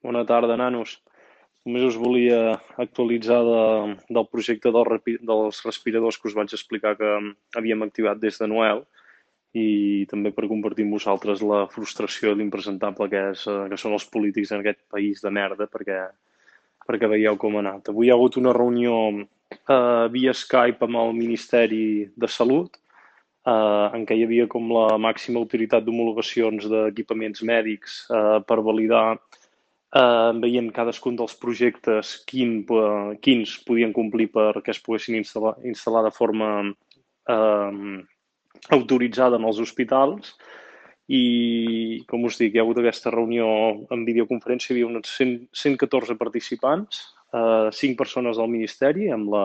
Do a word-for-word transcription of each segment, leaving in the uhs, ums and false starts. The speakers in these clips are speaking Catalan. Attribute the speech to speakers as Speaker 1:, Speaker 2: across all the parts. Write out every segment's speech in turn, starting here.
Speaker 1: Bona tarda, nanos. Només us volia actualitzar de, del projecte del, repi- dels respiradors que us vaig explicar que havíem activat des de Noel i també per compartir amb vosaltres la frustració i l'impresentable que, és, eh, que són els polítics en aquest país de merda perquè, perquè veieu com ha anat. Avui hi ha hagut una reunió eh, via Skype amb el Ministeri de Salut eh, en què hi havia com la màxima autoritat d'homologacions d'equipaments mèdics eh, per validar eh, veient cadascun dels projectes quin, eh, quins podien complir perquè es poguessin instal·lar, instal·lar de forma eh, autoritzada en els hospitals i, com us dic, hi ha hagut aquesta reunió en videoconferència, hi havia uns cent, cent catorze participants, eh, cinc persones del Ministeri, amb la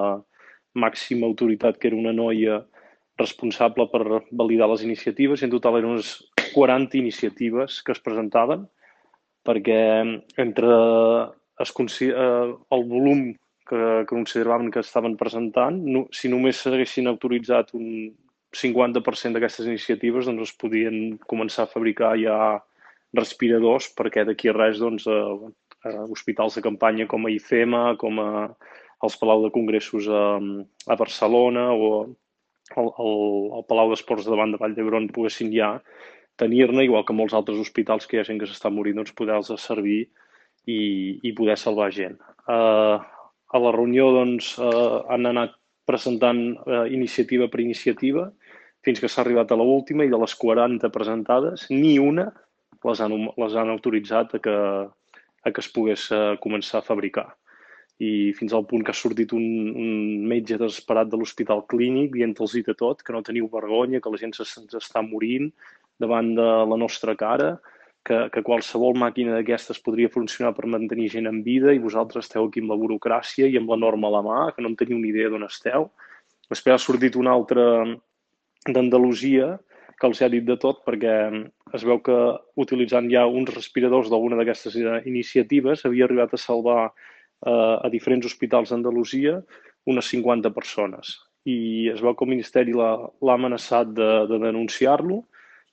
Speaker 1: màxima autoritat que era una noia responsable per validar les iniciatives, i en total eren unes quaranta iniciatives que es presentaven, perquè entre es, eh, el volum que, que consideraven que estaven presentant, no, si només s'haguessin autoritzat un cinquanta per cent d'aquestes iniciatives, doncs es podien començar a fabricar ja respiradors, perquè d'aquí a res, doncs, a, a hospitals de campanya com a I F E M A, com a els Palau de Congressos a, a Barcelona o al, al, al Palau d'Esports de davant de Vall d'Hebron poguessin ja tenir-ne, igual que molts altres hospitals que hi ha gent que s'està morint, doncs poder-los servir i, i poder salvar gent. Uh, a la reunió doncs, uh, han anat presentant uh, iniciativa per iniciativa fins que s'ha arribat a l'última i de les quaranta presentades, ni una les han, les han autoritzat a que, a que es pogués uh, començar a fabricar. I fins al punt que ha sortit un, un metge desesperat de l'Hospital Clínic dient-los de tot, que no teniu vergonya, que la gent se'ns està morint davant de la nostra cara, que, que qualsevol màquina d'aquestes podria funcionar per mantenir gent en vida i vosaltres esteu aquí amb la burocràcia i amb la norma a la mà, que no en teniu ni idea d'on esteu. Després ha sortit una altra d'Andalusia que els ha dit de tot, perquè es veu que utilitzant ja uns respiradors d'alguna d'aquestes iniciatives havia arribat a salvar eh, a diferents hospitals d'Andalusia unes cinquanta persones. I es veu que el Ministeri l'ha amenaçat de, de denunciar-lo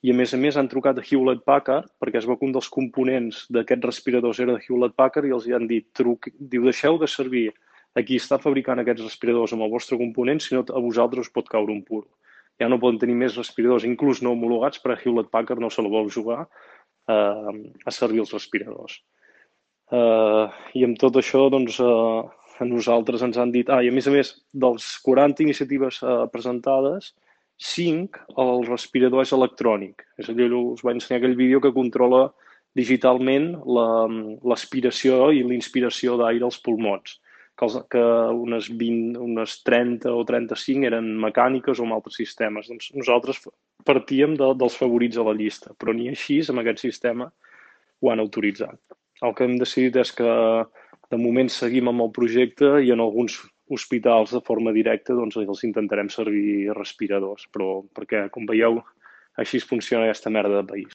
Speaker 1: i, a més a més, han trucat a Hewlett Packard perquè es veu que un dels components d'aquests respiradors era de Hewlett Packard i els han dit, truc, diu, deixeu de servir a qui està fabricant aquests respiradors amb el vostre component, si no a vosaltres us pot caure un puro. Ja no poden tenir més respiradors, inclús no homologats, per a Hewlett Packard no se la vol jugar eh, a servir els respiradors. Uh, I amb tot això, doncs, uh, a nosaltres ens han dit... Ah, i a més a més, dels quaranta iniciatives uh, presentades, cinc, el respirador és electrònic. És a dir, us vaig ensenyar aquell vídeo que controla digitalment l'aspiració i l'inspiració d'aire als pulmons, que, els, que unes, vint, unes trenta o trenta-cinc eren mecàniques o amb altres sistemes. Doncs nosaltres partíem de, dels favorits a la llista, però ni així, amb aquest sistema, ho han autoritzat. El que hem decidit és que de moment seguim amb el projecte i en alguns hospitals de forma directa doncs els intentarem servir respiradors, però perquè, com veieu, així funciona aquesta merda de país.